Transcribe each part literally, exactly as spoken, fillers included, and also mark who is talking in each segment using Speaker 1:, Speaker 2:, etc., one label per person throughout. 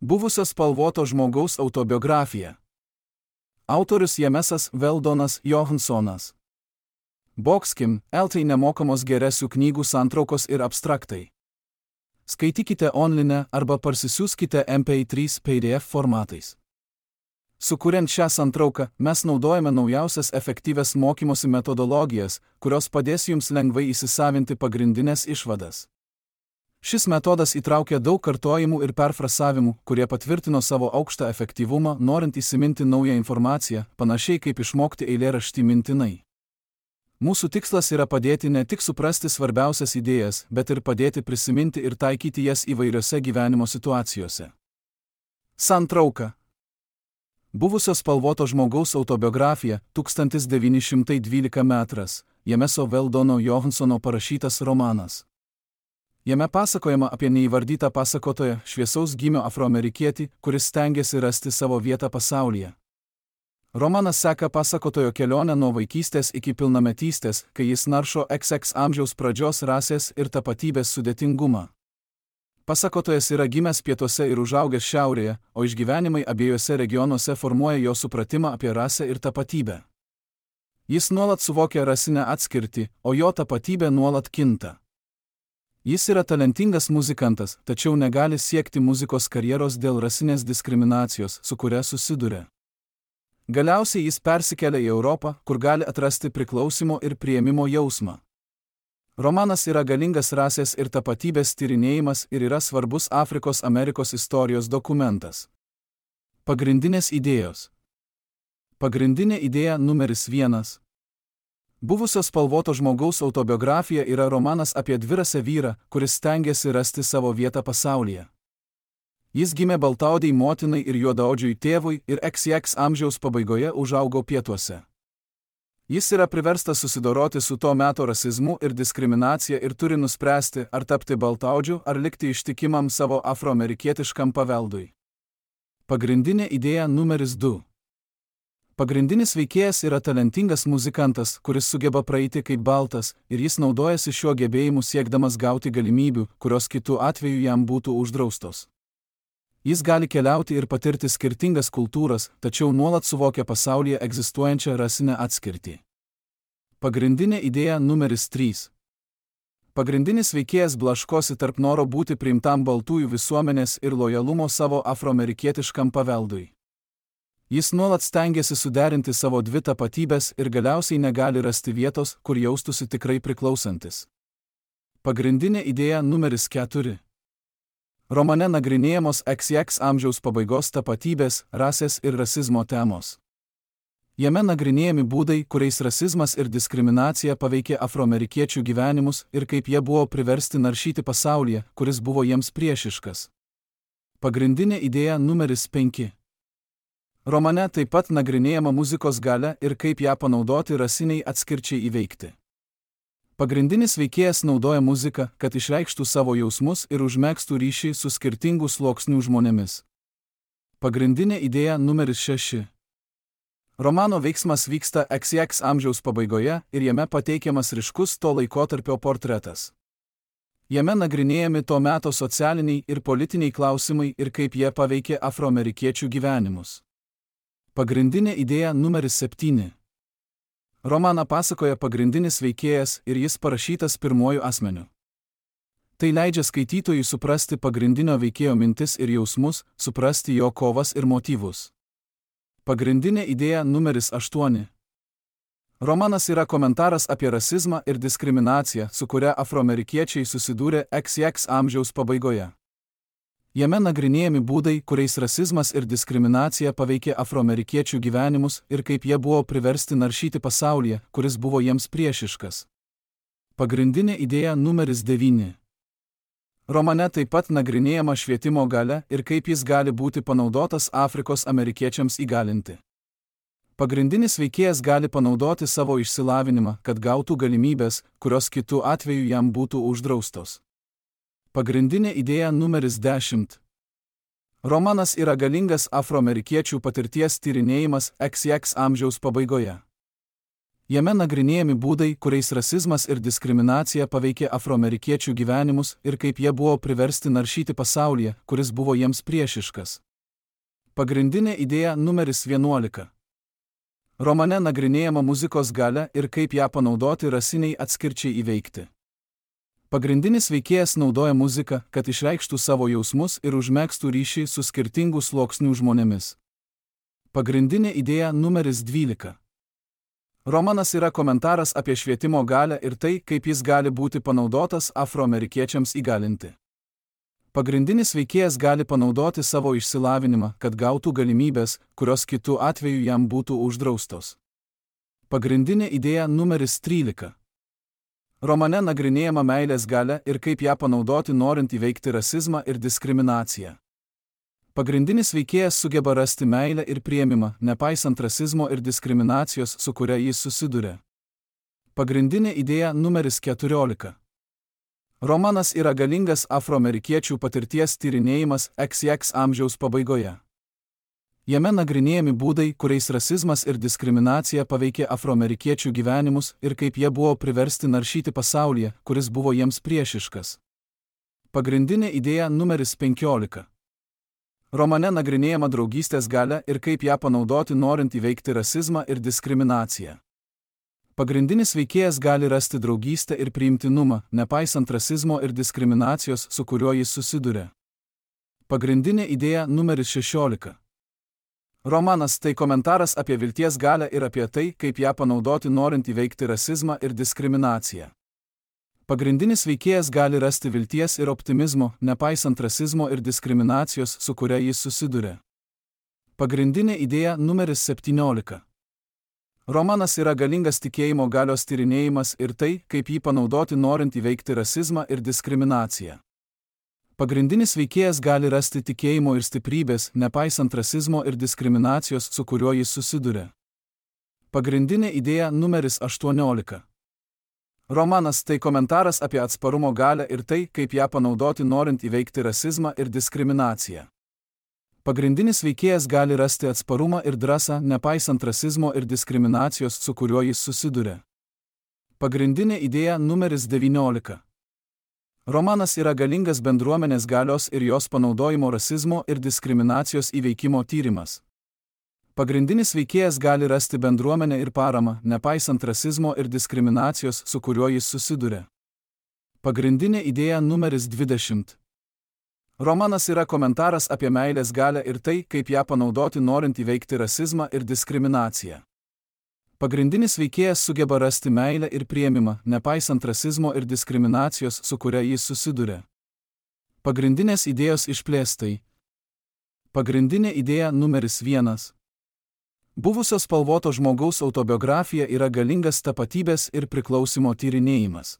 Speaker 1: Buvusio spalvoto žmogaus autobiografija. Autorius Jamesas Veldonas Johansonas. Bokskim, eltai nemokamos geresių knygų santraukos ir abstraktai. Skaitykite online arba parsisiųskite M P trys P D F formatais. Sukuriant šią santrauką, mes naudojame naujausias efektyvias mokymosi metodologijas, kurios padės jums lengvai įsisavinti pagrindinės išvadas. Šis metodas įtraukia daug kartojimų ir perfrasavimų, kurie patvirtino savo aukštą efektyvumą, norint įsiminti naują informaciją, panašiai kaip išmokti eilėraštį mintinai. Mūsų tikslas yra padėti ne tik suprasti svarbiausias idėjas, bet ir padėti prisiminti ir taikyti jas įvairiose gyvenimo situacijose. Santrauka. Buvusio spalvoto žmogaus autobiografija, tūkstantis devyni šimtai dvylika metras, Jameso Veldono Johansono parašytas romanas. Jame pasakojama apie neįvardytą pasakotoją, šviesaus gymio afroamerikietį, kuris stengiasi rasti savo vietą pasaulyje. Romanas seka pasakotojo kelionę nuo vaikystės iki pilnametystės, kai jis naršo iks iks amžiaus pradžios rasės ir tapatybės sudėtingumą. Pasakotojas yra gimęs pietuose ir užaugęs šiaurėje, o išgyvenimai abiejose regionuose formuoja jo supratimą apie rasę ir tapatybę. Jis nuolat suvokia rasinę atskirtį, o jo tapatybė nuolat kinta. Jis yra talentingas muzikantas, tačiau negali siekti muzikos karjeros dėl rasinės diskriminacijos, su kuria susiduria. Galiausiai jis persikelia į Europą, kur gali atrasti priklausimo ir priėmimo jausmą. Romanas yra galingas rasės ir tapatybės tyrinėjimas ir yra svarbus Afrikos Amerikos istorijos dokumentas. Pagrindinės idėjos. Pagrindinė idėja numeris vienas. Buvusio spalvoto žmogaus autobiografija yra romanas apie dvirasę vyrą, kuris stengiasi rasti savo vietą pasaulyje. Jis gimė baltaodei motinai ir juodaodžiui tėvui ir iks iks amžiaus pabaigoje užaugo pietuose. Jis yra priverstas susidoroti su to meto rasizmu ir diskriminacija ir turi nuspręsti, ar tapti baltaodžiu, ar likti ištikimam savo afroamerikietiškam paveldui. Pagrindinė idėja numeris du. Pagrindinis veikėjas yra talentingas muzikantas, kuris sugeba praeiti kaip baltas, ir jis naudojasi šiuo gebėjimu siekdamas gauti galimybių, kurios kitu atveju jam būtų uždraustos. Jis gali keliauti ir patirti skirtingas kultūras, tačiau nuolat suvokia pasaulyje egzistuojančią rasinę atskirtį. Pagrindinė idėja numeris trys. Pagrindinis veikėjas blaškosi tarp noro būti priimtam baltųjų visuomenės ir lojalumo savo afroamerikietiškam paveldui. Jis nuolat stengiasi suderinti savo dvi tapatybės ir galiausiai negali rasti vietos, kur jaustųsi tikrai priklausantis. Pagrindinė idėja numeris keturi. Romane nagrinėjamos iks iks amžiaus pabaigos tapatybės, rasės ir rasizmo temos. Jame nagrinėjami būdai, kuriais rasizmas ir diskriminacija paveikė afroamerikiečių gyvenimus ir kaip jie buvo priversti naršyti pasaulyje, kuris buvo jiems priešiškas. Pagrindinė idėja numeris penki. Romane taip pat nagrinėjama muzikos galia ir kaip ją panaudoti rasiniai atskirčiai įveikti. Pagrindinis veikėjas naudoja muziką, kad išreikštų savo jausmus ir užmegztų ryšį su skirtingų sluoksnių žmonėmis. Pagrindinė idėja numeris šeši. Romano veiksmas vyksta iks iks amžiaus pabaigoje ir jame pateikiamas ryškus to laikotarpio portretas. Jame nagrinėjami to meto socialiniai ir politiniai klausimai ir kaip jie paveikė afroamerikiečių gyvenimus. Pagrindinė idėja numeris septyni. Romaną pasakoja pagrindinis veikėjas ir jis parašytas pirmuoju asmeniu. Tai leidžia skaitytojui suprasti pagrindinio veikėjo mintis ir jausmus, suprasti jo kovas ir motyvus. Pagrindinė idėja numeris aštuoni. Romanas yra komentaras apie rasizmą ir diskriminaciją, su kuria afroamerikiečiai susidūrė iks iks amžiaus pabaigoje. Jame nagrinėjami būdai, kuriais rasizmas ir diskriminacija paveikė afroamerikiečių gyvenimus ir kaip jie buvo priversti naršyti pasaulyje, kuris buvo jiems priešiškas. Pagrindinė idėja numeris devyni. Romane taip pat nagrinėjama švietimo galia ir kaip jis gali būti panaudotas Afrikos amerikiečiams įgalinti. Pagrindinis veikėjas gali panaudoti savo išsilavinimą, kad gautų galimybės, kurios kitu atveju jam būtų uždraustos. Pagrindinė idėja numeris dešimt. Romanas yra galingas afroamerikiečių patirties tyrinėjimas iks iks amžiaus pabaigoje. Jame nagrinėjami būdai, kuriais rasizmas ir diskriminacija paveikė afroamerikiečių gyvenimus ir kaip jie buvo priversti naršyti pasaulyje, kuris buvo jiems priešiškas. Pagrindinė idėja numeris vienuolika. Romane nagrinėjama muzikos galia ir kaip ją panaudoti rasiniai atskirčiai įveikti. Pagrindinis veikėjas naudoja muziką, kad išreikštų savo jausmus ir užmegztų ryšį su skirtingų sluoksnių žmonėmis. Pagrindinė idėja numeris dvylika. Romanas yra komentaras apie švietimo galią ir tai, kaip jis gali būti panaudotas afroamerikiečiams įgalinti. Pagrindinis veikėjas gali panaudoti savo išsilavinimą, kad gautų galimybės, kurios kitu atveju jam būtų uždraustos. Pagrindinė idėja numeris trylika. Romane nagrinėjama meilės galia ir kaip ją panaudoti norint įveikti rasizmą ir diskriminaciją. Pagrindinis veikėjas sugeba rasti meilę ir priėmimą, nepaisant rasizmo ir diskriminacijos, su kuria jis susiduria. Pagrindinė idėja numeris keturiolika. Romanas yra galingas afroamerikiečių patirties tyrinėjimas iks iks amžiaus pabaigoje. Jame nagrinėjami būdai, kuriais rasizmas ir diskriminacija paveikė afroamerikiečių gyvenimus ir kaip jie buvo priversti naršyti pasaulyje, kuris buvo jiems priešiškas. Pagrindinė idėja numeris penkiolika. Romane nagrinėjama draugystės galia ir kaip ją panaudoti norint įveikti rasizmą ir diskriminaciją. Pagrindinis veikėjas gali rasti draugystę ir priimtinumą, nepaisant rasizmo ir diskriminacijos, su kuriuo jis susiduria. Pagrindinė idėja numeris šešiolika. Romanas tai komentaras apie vilties galią ir apie tai, kaip ją panaudoti norint įveikti rasizmą ir diskriminaciją. Pagrindinis veikėjas gali rasti vilties ir optimizmo, nepaisant rasizmo ir diskriminacijos, su kuria jis susiduria. Pagrindinė idėja numeris septyniolika. Romanas yra galingas tikėjimo galios tyrinėjimas ir tai, kaip jį panaudoti norint įveikti rasizmą ir diskriminaciją. Pagrindinis veikėjas gali rasti tikėjimo ir stiprybės, nepaisant rasizmo ir diskriminacijos, su kuriuo jis susiduria. Pagrindinė idėja numeris aštuoniolika. Romanas tai komentaras apie atsparumo galią ir tai, kaip ją panaudoti norint įveikti rasizmą ir diskriminaciją. Pagrindinis veikėjas gali rasti atsparumą ir drąsą, nepaisant rasizmo ir diskriminacijos, su kuriuo jis susiduria. Pagrindinė idėja numeris devyniolika. Romanas yra galingas bendruomenės galios ir jos panaudojimo rasizmo ir diskriminacijos įveikimo tyrimas. Pagrindinis veikėjas gali rasti bendruomenę ir paramą, nepaisant rasizmo ir diskriminacijos, su kuriuo jis susiduria. Pagrindinė idėja numeris dvidešimt. Romanas yra komentaras apie meilės galią ir tai, kaip ją panaudoti norint įveikti rasizmą ir diskriminaciją. Pagrindinis veikėjas sugeba rasti meilę ir priėmimą, nepaisant rasizmo ir diskriminacijos, su kuria jis susiduria. Pagrindinės idėjos išplėstai. Pagrindinė idėja numeris vienas. Buvusios spalvoto žmogaus autobiografija yra galingas tapatybės ir priklausimo tyrinėjimas.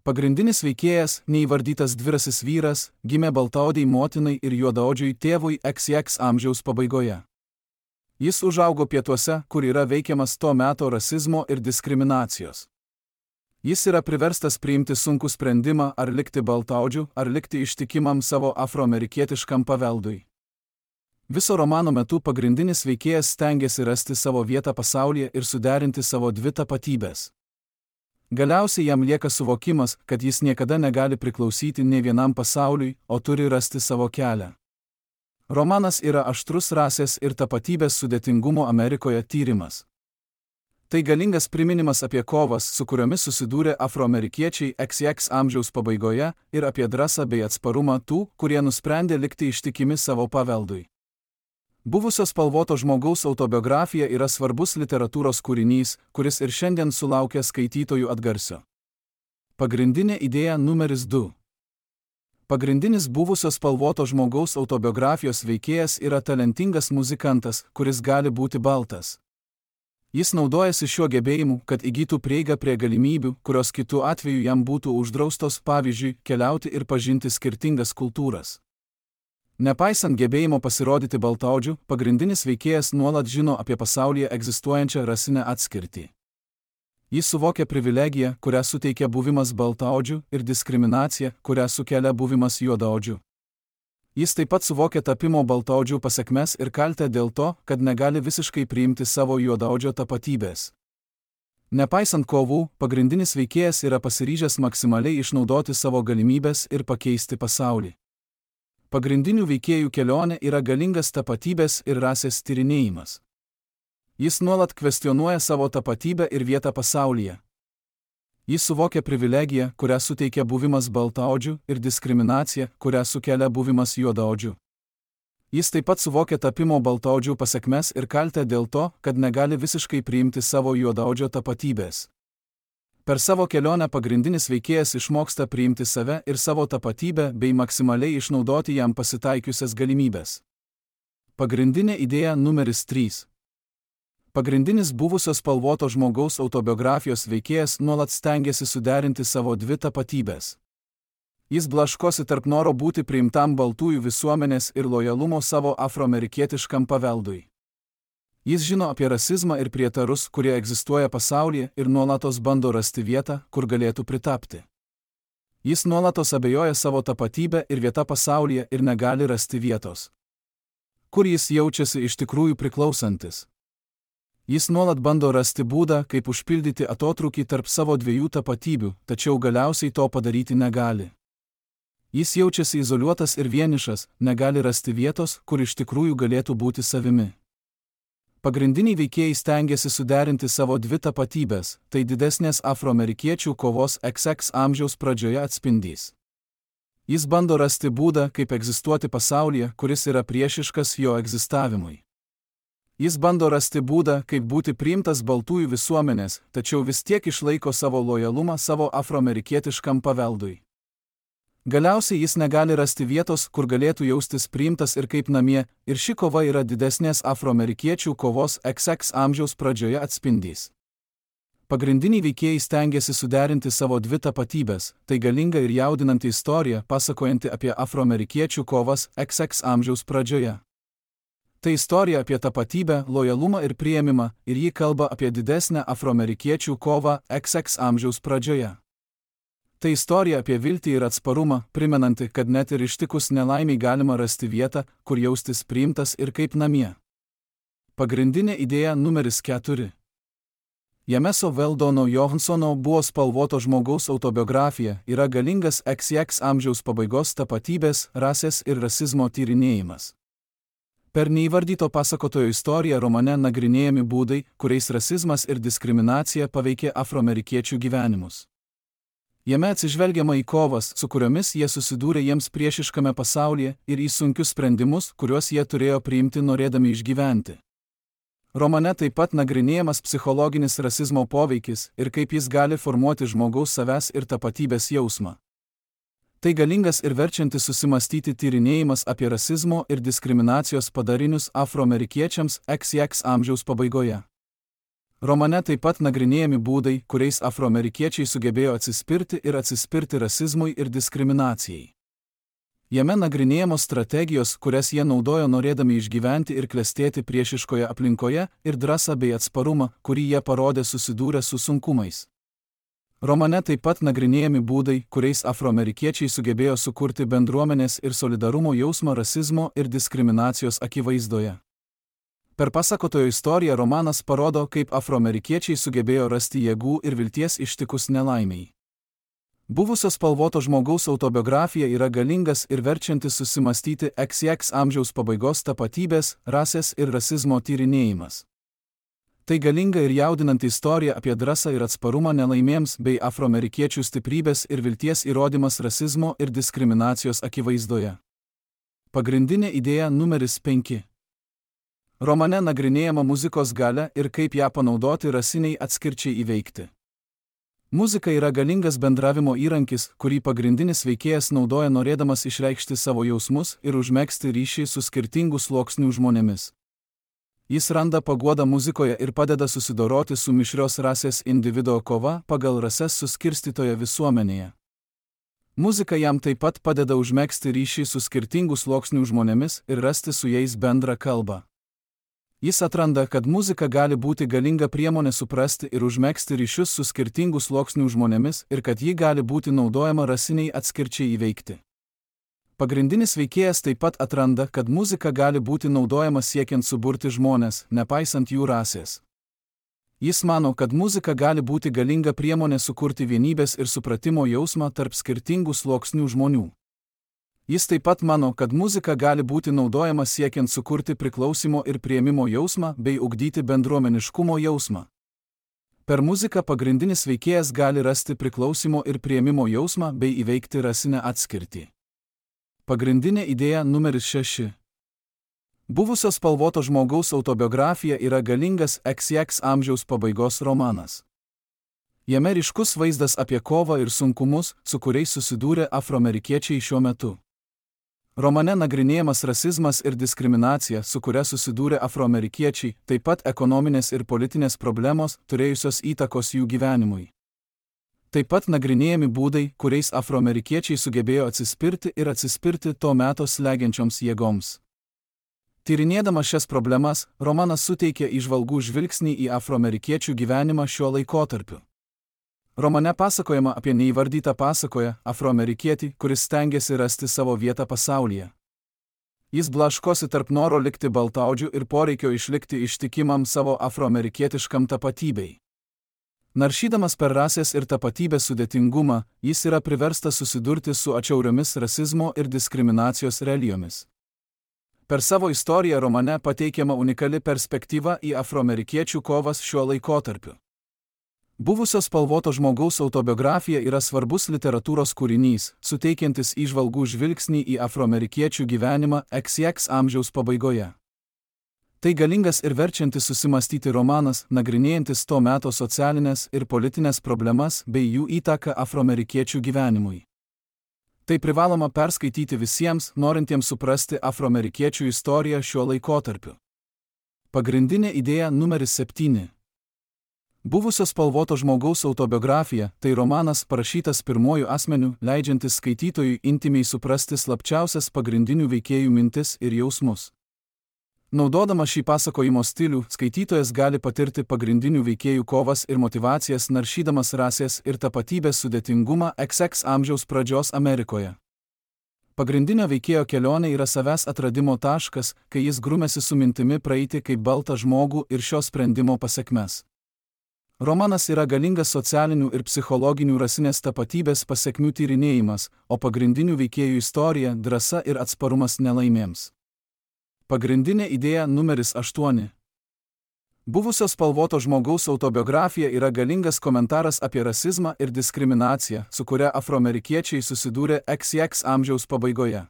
Speaker 1: Pagrindinis veikėjas, neįvardytas dvirasis vyras, gimė baltaodei motinai ir juodaodžiui tėvui iks iks amžiaus pabaigoje. Jis užaugo pietuose, kur yra veikiamas to meto rasizmo ir diskriminacijos. Jis yra priverstas priimti sunkų sprendimą, ar likti baltaodžiu, ar likti ištikimam savo afroamerikietiškam paveldui. Viso romano metu pagrindinis veikėjas stengiasi rasti savo vietą pasaulyje ir suderinti savo dvi tapatybės. Galiausiai jam lieka suvokimas, kad jis niekada negali priklausyti nei vienam pasauliui, o turi rasti savo kelią. Romanas yra aštrus rasės ir tapatybės sudėtingumo Amerikoje tyrimas. Tai galingas priminimas apie kovas, su kuriomis susidūrė afroamerikiečiai iks iks amžiaus pabaigoje, ir apie drąsą bei atsparumą tų, kurie nusprendė likti ištikimi savo paveldui. Buvusios spalvoto žmogaus autobiografija yra svarbus literatūros kūrinys, kuris ir šiandien sulaukia skaitytojų atgarsio. Pagrindinė idėja numeris du. Pagrindinis buvusios spalvoto žmogaus autobiografijos veikėjas yra talentingas muzikantas, kuris gali būti baltas. Jis naudojasi šiuo gebėjimu, kad įgytų prieigą prie galimybių, kurios kitu atveju jam būtų uždraustos, pavyzdžiui, keliauti ir pažinti skirtingas kultūras. Nepaisant gebėjimo pasirodyti baltaodžiu, pagrindinis veikėjas nuolat žino apie pasaulyje egzistuojančią rasinę atskirtį. Jis suvokia privilegiją, kurią suteikia buvimas baltaodžiu, ir diskriminaciją, kurią sukelia buvimas juodaodžiu. Jis taip pat suvokia tapimo baltaodžiu pasekmes ir kaltę dėl to, kad negali visiškai priimti savo juodaodžio tapatybės. Nepaisant kovų, pagrindinis veikėjas yra pasiryžęs maksimaliai išnaudoti savo galimybės ir pakeisti pasaulį. Pagrindinių veikėjų kelionė yra galingas tapatybės ir rasės tyrinėjimas. Jis nuolat kvestionuoja savo tapatybę ir vietą pasaulyje. Jis suvokia privilegiją, kurią suteikia buvimas baltaodžiu, ir diskriminaciją, kurią sukelia buvimas juodaodžiu. Jis taip pat suvokia tapimo baltaodžių pasekmes ir kaltę dėl to, kad negali visiškai priimti savo juodaodžio tapatybės. Per savo kelionę pagrindinis veikėjas išmoksta priimti save ir savo tapatybę bei maksimaliai išnaudoti jam pasitaikiusias galimybės. Pagrindinė idėja numeris trys. Pagrindinis buvusios spalvoto žmogaus autobiografijos veikėjas nuolat stengiasi suderinti savo dvi tapatybės. Jis blaškosi tarp noro būti priimtam baltųjų visuomenės ir lojalumo savo afroamerikietiškam paveldui. Jis žino apie rasizmą ir prietarus, kurie egzistuoja pasaulyje, ir nuolatos bando rasti vietą, kur galėtų pritapti. Jis nuolatos abejoja savo tapatybę ir vietą pasaulyje ir negali rasti vietos, kur jis jaučiasi iš tikrųjų priklausantis. Jis nuolat bando rasti būdą, kaip užpildyti atotrūkį tarp savo dviejų tapatybių, tačiau galiausiai to padaryti negali. Jis jaučiasi izoliuotas ir vienišas, negali rasti vietos, kur iš tikrųjų galėtų būti savimi. Pagrindiniai veikėjai stengiasi suderinti savo dvi tapatybės, tai didesnės afroamerikiečių kovos iks iks amžiaus pradžioje atspindys. Jis bando rasti būdą, kaip egzistuoti pasaulyje, kuris yra priešiškas jo egzistavimui. Jis bando rasti būdą, kaip būti priimtas baltųjų visuomenės, tačiau vis tiek išlaiko savo lojalumą savo afroamerikietiškam paveldui. Galiausiai jis negali rasti vietos, kur galėtų jaustis priimtas ir kaip namie, ir ši kova yra didesnės afroamerikiečių kovos iks iks amžiaus pradžioje atspindys. Pagrindiniai veikėjai stengiasi suderinti savo dvi tapatybės, tai galinga ir jaudinanti istorija, pasakojanti apie afroamerikiečių kovas iks iks amžiaus pradžioje. Tai istorija apie tapatybę, lojalumą ir priėmimą, ir ji kalba apie didesnę afroamerikiečių kovą iks iks amžiaus pradžioje. Tai istorija apie viltį ir atsparumą, primenanti, kad net ir ištikus nelaimiai galima rasti vietą, kur jaustis priimtas ir kaip namie. Pagrindinė idėja numeris keturi. Jameso Veldono Johansono buvo spalvoto žmogaus autobiografija, yra galingas iks iks amžiaus pabaigos tapatybės, rasės ir rasizmo tyrinėjimas. Per neįvardyto pasakotojo istoriją romane nagrinėjami būdai, kuriais rasizmas ir diskriminacija paveikė afroamerikiečių gyvenimus. Jame atsižvelgiama į kovas, su kuriomis jie susidūrė jiems priešiškame pasaulyje, ir į sunkius sprendimus, kuriuos jie turėjo priimti norėdami išgyventi. Romane taip pat nagrinėjamas psichologinis rasizmo poveikis ir kaip jis gali formuoti žmogaus savęs ir tapatybės jausmą. Tai galingas ir verčiantis susimastyti tyrinėjimas apie rasizmo ir diskriminacijos padarinius afroamerikiečiams iks iks amžiaus pabaigoje. Romane taip pat nagrinėjami būdai, kuriais afroamerikiečiai sugebėjo atsispirti ir atsispirti rasizmui ir diskriminacijai. Jame nagrinėjamos strategijos, kurias jie naudojo norėdami išgyventi ir klestėti priešiškoje aplinkoje, ir drąsą bei atsparumą, kurį jie parodė susidūrę su sunkumais. Romane taip pat nagrinėjami būdai, kuriais afroamerikiečiai sugebėjo sukurti bendruomenės ir solidarumo jausmą rasizmo ir diskriminacijos akivaizdoje. Per pasakotojo istoriją romanas parodo, kaip afroamerikiečiai sugebėjo rasti jėgų ir vilties ištikus nelaimiai. Buvusio spalvoto žmogaus autobiografija yra galingas ir verčiantis susimastyti iks iks amžiaus pabaigos tapatybės, rasės ir rasizmo tyrinėjimas. Tai galinga ir jaudinanti istorija apie drąsą ir atsparumą nelaimėms bei afroamerikiečių stiprybės ir vilties įrodymas rasizmo ir diskriminacijos akivaizdoje. Pagrindinė idėja numeris penki. Romane nagrinėjama muzikos galia ir kaip ją panaudoti rasiniai atskirčiai įveikti. Muzika yra galingas bendravimo įrankis, kurį pagrindinis veikėjas naudoja norėdamas išreikšti savo jausmus ir užmegzti ryšį su skirtingų sluoksnių žmonėmis. Jis randa paguodą muzikoje ir padeda susidoroti su mišrios rasės individo kova pagal rases suskirstytoje visuomenėje. Muzika jam taip pat padeda užmegzti ryšį su skirtingų sluoksnių žmonėmis ir rasti su jais bendrą kalbą. Jis atranda, kad muzika gali būti galinga priemonė suprasti ir užmegzti ryšius su skirtingų sluoksnių žmonėmis ir kad ji gali būti naudojama rasiniai atskirčiai įveikti. Pagrindinis veikėjas taip pat atranda, kad muzika gali būti naudojama siekiant suburti žmones, nepaisant jų rasės. Jis mano, kad muzika gali būti galinga priemonė sukurti vienybės ir supratimo jausmą tarp skirtingų sluoksnių žmonių. Jis taip pat mano, kad muzika gali būti naudojama siekiant sukurti priklausimo ir priėmimo jausmą bei ugdyti bendruomeniškumo jausmą. Per muziką pagrindinis veikėjas gali rasti priklausimo ir priėmimo jausmą bei įveikti rasinę atskirtį. Pagrindinė idėja numeris šeši. Buvusio spalvoto žmogaus autobiografija yra galingas iks iks amžiaus pabaigos romanas. Jame ryškus vaizdas apie kovą ir sunkumus, su kuriais susidūrė afroamerikiečiai šiuo metu. Romane nagrinėjamas rasizmas ir diskriminacija, su kuria susidūrė afroamerikiečiai, taip pat ekonominės ir politinės problemos, turėjusios įtakos jų gyvenimui. Taip pat nagrinėjami būdai, kuriais afroamerikiečiai sugebėjo atsispirti ir atsispirti to meto slegiančioms jėgoms. Tyrinėdamas šias problemas, romanas suteikia įžvalgų žvilgsnį į afroamerikiečių gyvenimą šiuo laikotarpiu. Romane pasakojama apie neįvardytą pasakoją afroamerikietį, kuris stengiasi rasti savo vietą pasaulyje. Jis blaškosi tarp noro likti baltaodžiu ir poreikio išlikti ištikimam savo afroamerikietiškam tapatybei. Naršydamas per rasės ir tapatybės sudėtingumą, jis yra priverstas susidurti su atšiauriomis rasizmo ir diskriminacijos realijomis. Per savo istoriją romane pateikiama unikali perspektyva į afroamerikiečių kovas šiuo laikotarpiu. Buvusio spalvoto žmogaus autobiografija yra svarbus literatūros kūrinys, suteikiantis įžvalgų žvilgsnį į afroamerikiečių gyvenimą iks iks amžiaus pabaigoje. Tai galingas ir verčiantis susimastyti romanas, nagrinėjantis to meto socialinės ir politinės problemas bei jų įtaką afroamerikiečių gyvenimui. Tai privaloma perskaityti visiems, norintiems suprasti afroamerikiečių istoriją šiuo laikotarpiu. Pagrindinė idėja numeris septyni. Buvusio spalvoto žmogaus autobiografija – tai romanas parašytas pirmuoju asmeniu, leidžiantis skaitytojui intimiai suprasti slapčiausias pagrindinių veikėjų mintis ir jausmus. Naudodamas šį pasakojimo stilių, skaitytojas gali patirti pagrindinių veikėjų kovas ir motyvacijas, naršydamas rasės ir tapatybės sudėtingumą iks iks amžiaus pradžios Amerikoje. Pagrindinio veikėjo kelionė yra savęs atradimo taškas, kai jis grumėsi su mintimi praeiti kaip baltą žmogų ir šio sprendimo pasekmes. Romanas yra galingas socialinių ir psichologinių rasinės tapatybės pasekmių tyrinėjimas, o pagrindinių veikėjų istorija – drąsa ir atsparumas nelaimėms. Pagrindinė idėja numeris aštuoni. Buvusio spalvoto žmogaus autobiografija yra galingas komentaras apie rasizmą ir diskriminaciją, su kuria afroamerikiečiai susidūrė iks iks amžiaus pabaigoje.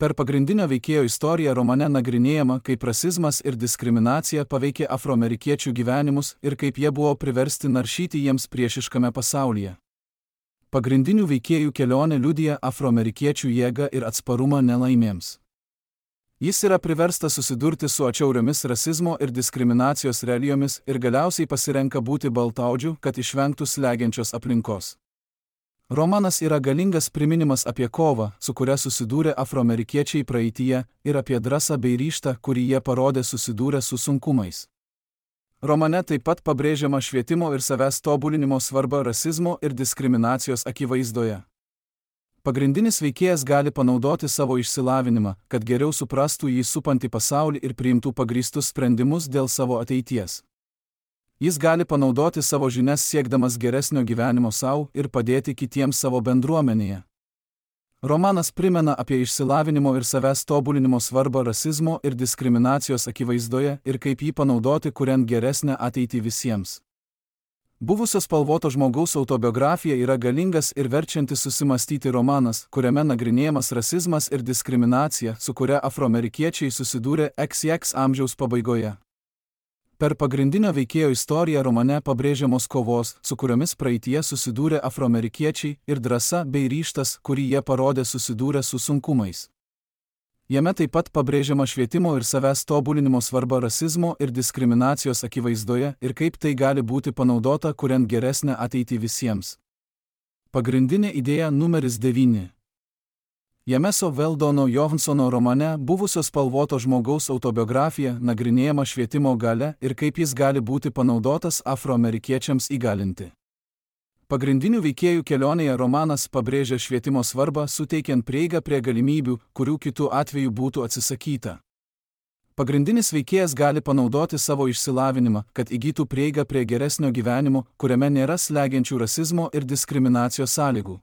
Speaker 1: Per pagrindinio veikėjo istoriją romane nagrinėjama, kaip rasizmas ir diskriminacija paveikė afroamerikiečių gyvenimus ir kaip jie buvo priversti naršyti jiems priešiškame pasaulyje. Pagrindinių veikėjų kelionė liudija afroamerikiečių jėgą ir atsparumą nelaimėms. Jis yra priverstas susidurti su atšiauriomis rasizmo ir diskriminacijos realijomis ir galiausiai pasirenka būti baltaodžiu, kad išvengtų slegiančios aplinkos. Romanas yra galingas priminimas apie kovą, su kuria susidūrė afroamerikiečiai praeityje, ir apie drąsą bei ryžtą, kurį jie parodė susidūrę su sunkumais. Romane taip pat pabrėžiama švietimo ir savęs tobulinimo svarba rasizmo ir diskriminacijos akivaizdoje. Pagrindinis veikėjas gali panaudoti savo išsilavinimą, kad geriau suprastų jį supantį pasaulį ir priimtų pagrįstus sprendimus dėl savo ateities. Jis gali panaudoti savo žinias siekdamas geresnio gyvenimo sau ir padėti kitiems savo bendruomenėje. Romanas primena apie išsilavinimo ir savęs tobulinimo svarbą rasizmo ir diskriminacijos akivaizdoje ir kaip jį panaudoti, kuriant geresnę ateitį visiems. Buvusio spalvoto žmogaus autobiografija yra galingas ir verčiantis susimastyti romanas, kuriame nagrinėjamas rasizmas ir diskriminacija, su kuria afroamerikiečiai susidūrė iks iks amžiaus pabaigoje. Per pagrindinio veikėjo istoriją romane pabrėžiamos kovos, su kuriomis praeityje susidūrė afroamerikiečiai, ir drąsa bei ryžtas, kurį jie parodė susidūrę su sunkumais. Jame taip pat pabrėžiama švietimo ir savęs tobulinimo svarba rasizmo ir diskriminacijos akivaizdoje ir kaip tai gali būti panaudota, kuriant geresnę ateitį visiems. Pagrindinė idėja numeris devyni. Jameso Veldono Johansono romane Buvusio spalvoto žmogaus autobiografija nagrinėjama švietimo galia ir kaip jis gali būti panaudotas afroamerikiečiams įgalinti. Pagrindinių veikėjų kelionėje romanas pabrėžia švietimo svarbą, suteikiant prieigą prie galimybių, kurių kitų atveju būtų atsisakyta. Pagrindinis veikėjas gali panaudoti savo išsilavinimą, kad įgytų prieigą prie geresnio gyvenimo, kuriame nėra slegiančių rasizmo ir diskriminacijos sąlygų.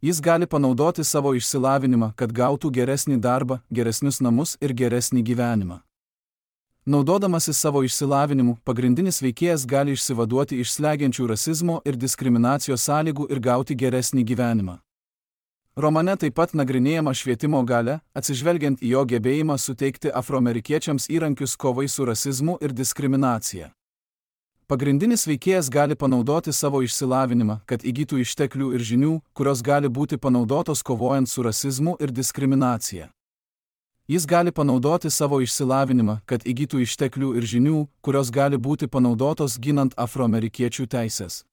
Speaker 1: Jis gali panaudoti savo išsilavinimą, kad gautų geresnį darbą, geresnius namus ir geresnį gyvenimą. Naudodamasis savo išsilavinimu, pagrindinis veikėjas gali išsivaduoti iš slegiančių rasizmo ir diskriminacijos sąlygų ir gauti geresnį gyvenimą. Romane taip pat nagrinėjama švietimo galia, atsižvelgiant į jo gebėjimą suteikti afroamerikiečiams įrankius kovai su rasizmu ir diskriminacija. Pagrindinis veikėjas gali panaudoti savo išsilavinimą, kad įgytų išteklių ir žinių, kurios gali būti panaudotos kovojant su rasizmu ir diskriminacija. Jis gali panaudoti savo išsilavinimą, kad įgytų išteklių ir žinių, kurios gali būti panaudotos ginant afroamerikiečių teisės.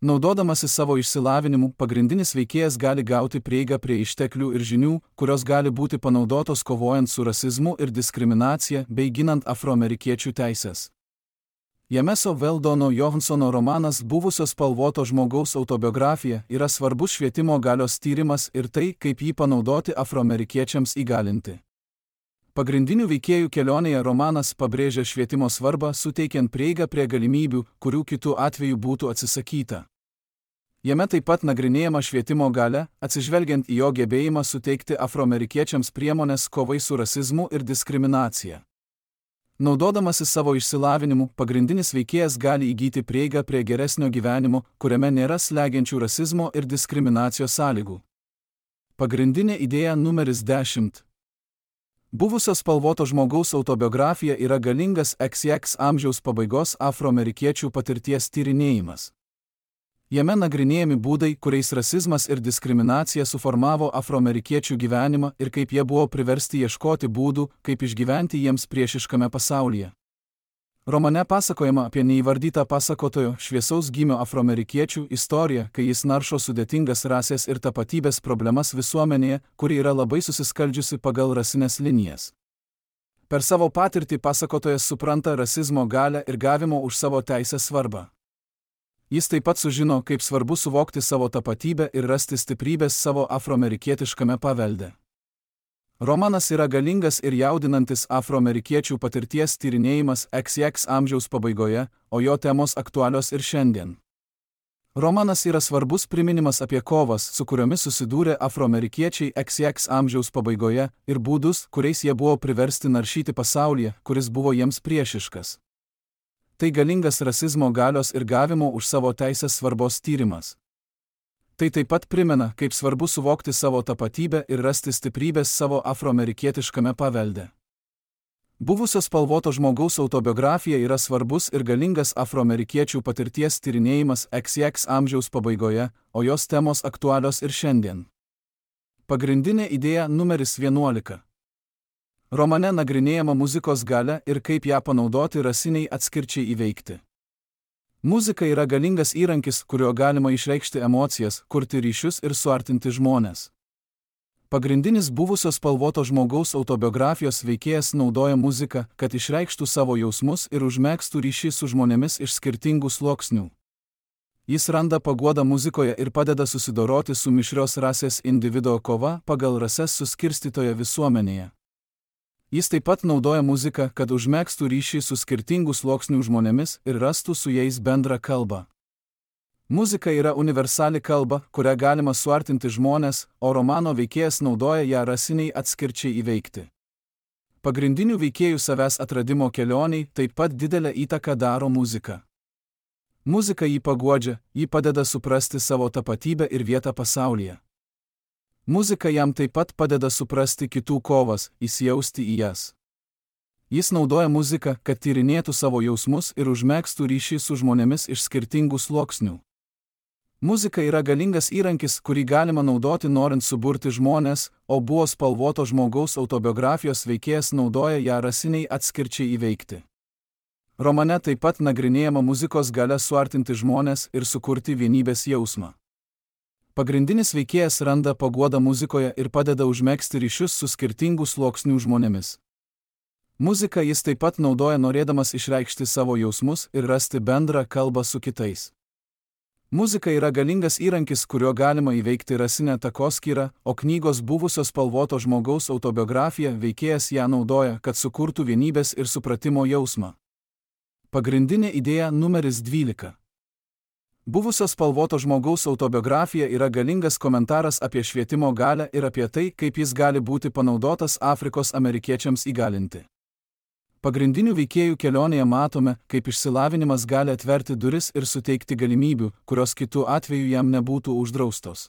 Speaker 1: Naudodamasis savo išsilavinimu, pagrindinis veikėjas gali gauti prieigą prie išteklių ir žinių, kurios gali būti panaudotos kovojant su rasizmu ir diskriminacija bei ginant afroamerikiečių teisės. Jameso Weldono Johansono romanas Buvusio spalvoto žmogaus autobiografija yra svarbus švietimo galios tyrimas ir tai, kaip jį panaudoti afroamerikiečiams įgalinti. Pagrindinių veikėjų kelionėje romanas pabrėžia švietimo svarbą, suteikiant prieigą prie galimybių, kurių kitų atveju būtų atsisakyta. Jame taip pat nagrinėjama švietimo galia, atsižvelgiant į jo gebėjimą suteikti afroamerikiečiams priemonės kovai su rasizmu ir diskriminacija. Naudodamasis savo išsilavinimu, pagrindinis veikėjas gali įgyti prieigą prie geresnio gyvenimo, kuriame nėra slegiančių rasizmo ir diskriminacijos sąlygų. Pagrindinė idėja numeris dešimt. Buvusio spalvoto žmogaus autobiografija yra galingas iks iks amžiaus pabaigos afroamerikiečių patirties tyrinėjimas. Jame nagrinėjami būdai, kuriais rasizmas ir diskriminacija suformavo afroamerikiečių gyvenimą ir kaip jie buvo priversti ieškoti būdų, kaip išgyventi jiems priešiškame pasaulyje. Romane pasakojama apie neįvardytą pasakotojo šviesaus gymio afroamerikiečių istoriją, kai jis naršo sudėtingas rasės ir tapatybės problemas visuomenėje, kuri yra labai susiskaldžiusi pagal rasinės linijas. Per savo patirtį pasakotojas supranta rasizmo galią ir gavimo už savo teisę svarbą. Jis taip pat sužino, kaip svarbu suvokti savo tapatybę ir rasti stiprybės savo afroamerikietiškame pavelde. Romanas yra galingas ir jaudinantis afroamerikiečių patirties tyrinėjimas iks iks amžiaus pabaigoje, o jo temos aktualios ir šiandien. Romanas yra svarbus priminimas apie kovas, su kuriomis susidūrė afroamerikiečiai iks iks amžiaus pabaigoje ir būdus, kuriais jie buvo priversti naršyti pasaulyje, kuris buvo jiems priešiškas. Tai galingas rasizmo galios ir gavimo už savo teisės svarbos tyrimas. Tai taip pat primena, kaip svarbu suvokti savo tapatybę ir rasti stiprybės savo afroamerikietiškame pavelde. Buvusio spalvoto žmogaus autobiografija yra svarbus ir galingas afroamerikiečių patirties tyrinėjimas iks iks amžiaus pabaigoje, o jos temos aktualios ir šiandien. Pagrindinė idėja numeris vienuolika. Romane nagrinėjama muzikos galia ir kaip ją panaudoti rasiniai atskirčiai įveikti. Muzika yra galingas įrankis, kuriuo galima išreikšti emocijas, kurti ryšius ir suartinti žmones. Pagrindinis buvusio spalvoto žmogaus autobiografijos veikėjas naudoja muziką, kad išreikštų savo jausmus ir užmegztų ryšį su žmonėmis iš skirtingų sluoksnių. Jis randa paguodą muzikoje ir padeda susidoroti su mišrios rasės individo kova pagal rases suskirstytoje visuomenėje. Jis taip pat naudoja muziką, kad užmegztų ryšį su skirtingų sluoksnių žmonėmis ir rastų su jais bendrą kalbą. Muzika yra universali kalba, kurią galima suartinti žmones, o romano veikėjas naudoja ją rasiniai atskirčiai įveikti. Pagrindinių veikėjų savęs atradimo kelioniai taip pat didelę įtaką daro muzika. Muzika jį paguodžia, jį padeda suprasti savo tapatybę ir vietą pasaulyje. Muzika jam taip pat padeda suprasti kitų kovas, įsijausti į jas. Jis naudoja muziką, kad tyrinėtų savo jausmus ir užmegztų ryšį su žmonėmis iš skirtingų sluoksnių. Muzika yra galingas įrankis, kurį galima naudoti norint suburti žmones, o buvo spalvoto žmogaus autobiografijos veikėjas naudoja ją rasiniai atskirčiai įveikti. Romane taip pat nagrinėjama muzikos galia suartinti žmones ir sukurti vienybės jausmą. Pagrindinis veikėjas randa paguodą muzikoje ir padeda užmegzti ryšius su skirtingų sluoksnių žmonėmis. Muziką jis taip pat naudoja norėdamas išreikšti savo jausmus ir rasti bendrą kalbą su kitais. Muzika yra galingas įrankis, kuriuo galima įveikti rasinę takoskyrą, o knygos Buvusio spalvoto žmogaus autobiografija veikėjas ją naudoja, kad sukurtų vienybės ir supratimo jausmą. Pagrindinė idėja numeris dvylika. Buvusio spalvoto žmogaus autobiografija yra galingas komentaras apie švietimo galią ir apie tai, kaip jis gali būti panaudotas Afrikos amerikiečiams įgalinti. Pagrindinių veikėjų kelionėje matome, kaip išsilavinimas gali atverti duris ir suteikti galimybių, kurios kitų atveju jam nebūtų uždraustos.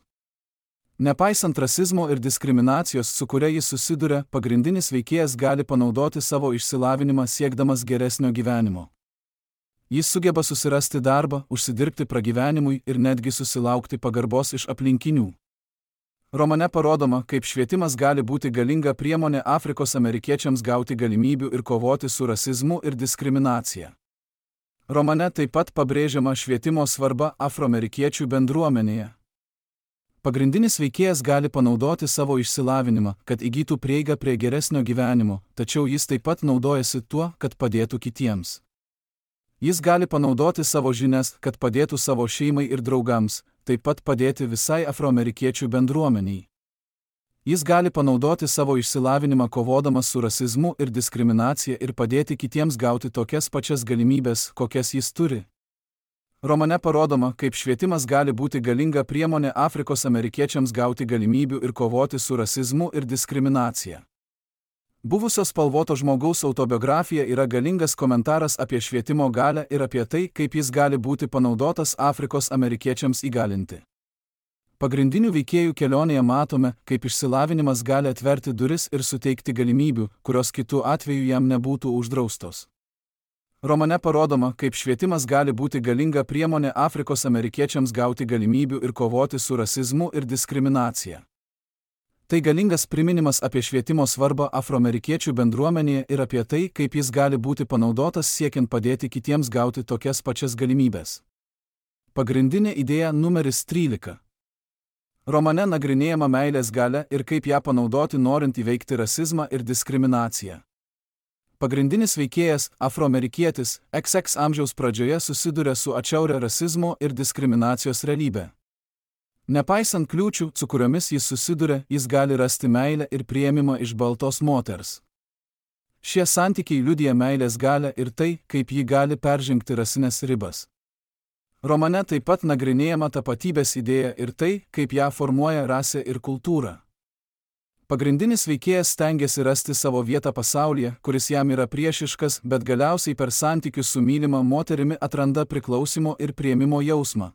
Speaker 1: Nepaisant rasizmo ir diskriminacijos, su kuria jis susiduria, pagrindinis veikėjas gali panaudoti savo išsilavinimą siekdamas geresnio gyvenimo. Jis sugeba susirasti darbą, užsidirbti pragyvenimui ir netgi susilaukti pagarbos iš aplinkinių. Romane parodoma, kaip švietimas gali būti galinga priemonė Afrikos amerikiečiams gauti galimybių ir kovoti su rasizmu ir diskriminacija. Romane taip pat pabrėžiama švietimo svarba afroamerikiečių bendruomenėje. Pagrindinis veikėjas gali panaudoti savo išsilavinimą, kad įgytų prieigą prie geresnio gyvenimo, tačiau jis taip pat naudojasi tuo, kad padėtų kitiems. Jis gali panaudoti savo žinias, kad padėtų savo šeimai ir draugams, taip pat padėti visai afroamerikiečių bendruomeniai. Jis gali panaudoti savo išsilavinimą kovodamas su rasizmu ir diskriminacija ir padėti kitiems gauti tokias pačias galimybės, kokias jis turi. Romane parodoma, kaip švietimas gali būti galinga priemonė Afrikos amerikiečiams gauti galimybių ir kovoti su rasizmu ir diskriminacija. Buvusio spalvoto žmogaus autobiografija yra galingas komentaras apie švietimo galią ir apie tai, kaip jis gali būti panaudotas Afrikos amerikiečiams įgalinti. Pagrindinių veikėjų kelionėje matome, kaip išsilavinimas gali atverti duris ir suteikti galimybių, kurios kitų atveju jam nebūtų uždraustos. Romane parodoma, kaip švietimas gali būti galinga priemonė Afrikos amerikiečiams gauti galimybių ir kovoti su rasizmu ir diskriminacija. Tai galingas priminimas apie švietimo svarbą afroamerikiečių bendruomenėje ir apie tai, kaip jis gali būti panaudotas siekiant padėti kitiems gauti tokias pačias galimybės. Pagrindinė idėja numeris trylika. Romane nagrinėjama meilės galia ir kaip ją panaudoti norint įveikti rasizmą ir diskriminaciją. Pagrindinis veikėjas, afroamerikietis, iks iks amžiaus pradžioje susiduria su atšiauria rasizmo ir diskriminacijos realybė. Nepaisant kliūčių, su kuriomis jis susiduria, jis gali rasti meilę ir priėmimą iš baltos moters. Šie santykiai liudija meilės galią ir tai, kaip ji gali peržengti rasinės ribas. Romane taip pat nagrinėjama tapatybės idėja ir tai, kaip ją formuoja rasė ir kultūra. Pagrindinis veikėjas stengiasi rasti savo vietą pasaulyje, kuris jam yra priešiškas, bet galiausiai per santykius su mylima moterimi atranda priklausimo ir priėmimo jausmą.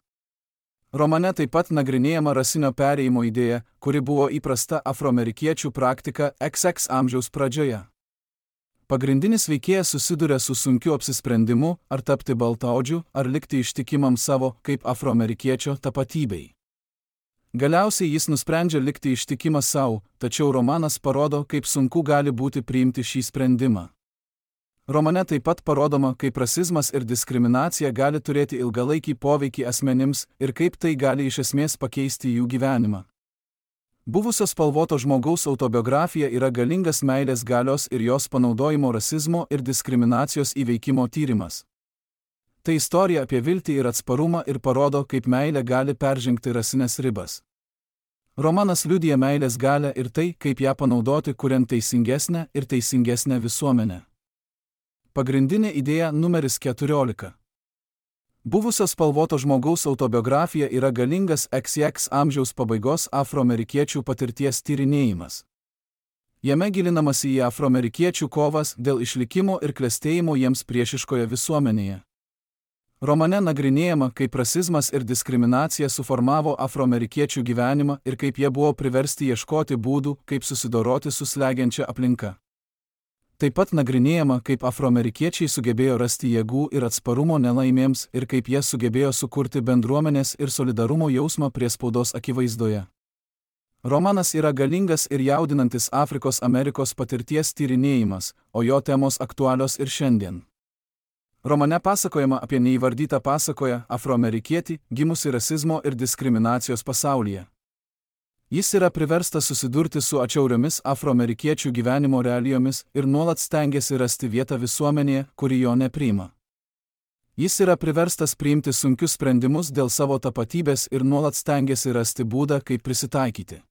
Speaker 1: Romane taip pat nagrinėjama rasinio perėjimo idėja, kuri buvo įprasta afroamerikiečių praktika iks iks amžiaus pradžioje. Pagrindinis veikėjas susiduria su sunkiu apsisprendimu, ar tapti baltaodžiu, ar likti ištikimam savo, kaip afroamerikiečio, tapatybei. Galiausiai jis nusprendžia likti ištikimas savo, tačiau romanas parodo, kaip sunku gali būti priimti šį sprendimą. Romane taip pat parodoma, kaip rasizmas ir diskriminacija gali turėti ilgalaikį poveikį asmenims ir kaip tai gali iš esmės pakeisti jų gyvenimą. Buvusio spalvoto žmogaus autobiografija yra galingas meilės galios ir jos panaudojimo rasizmo ir diskriminacijos įveikimo tyrimas. Tai istorija apie viltį ir atsparumą ir parodo, kaip meilė gali peržengti rasinės ribas. Romanas liudija meilės galią ir tai, kaip ją panaudoti, kuriant teisingesnę ir teisingesnę visuomenę. Pagrindinė idėja numeris keturiolika. Buvusio spalvoto žmogaus autobiografija yra galingas iks iks amžiaus pabaigos afroamerikiečių patirties tyrinėjimas. Jame gilinamasi į afroamerikiečių kovas dėl išlikimo ir klestėjimo jiems priešiškoje visuomenėje. Romane nagrinėjama, kaip rasizmas ir diskriminacija suformavo afroamerikiečių gyvenimą ir kaip jie buvo priversti ieškoti būdų, kaip susidoroti su slegiančia aplinka. Taip pat nagrinėjama, kaip afroamerikiečiai sugebėjo rasti jėgų ir atsparumo nelaimėms ir kaip jie sugebėjo sukurti bendruomenės ir solidarumo jausmą priespaudos akivaizdoje. Romanas yra galingas ir jaudinantis Afrikos Amerikos patirties tyrinėjimas, o jo temos aktualios ir šiandien. Romane pasakojama apie neįvardytą pasakoją afroamerikietį, gimusi rasizmo ir diskriminacijos pasaulyje. Jis yra priverstas susidurti su atšiauriomis afroamerikiečių gyvenimo realijomis ir nuolat stengiasi rasti vietą visuomenėje, kuri jo nepriima. Jis yra priverstas priimti sunkius sprendimus dėl savo tapatybės ir nuolat stengiasi rasti būdą, kaip prisitaikyti.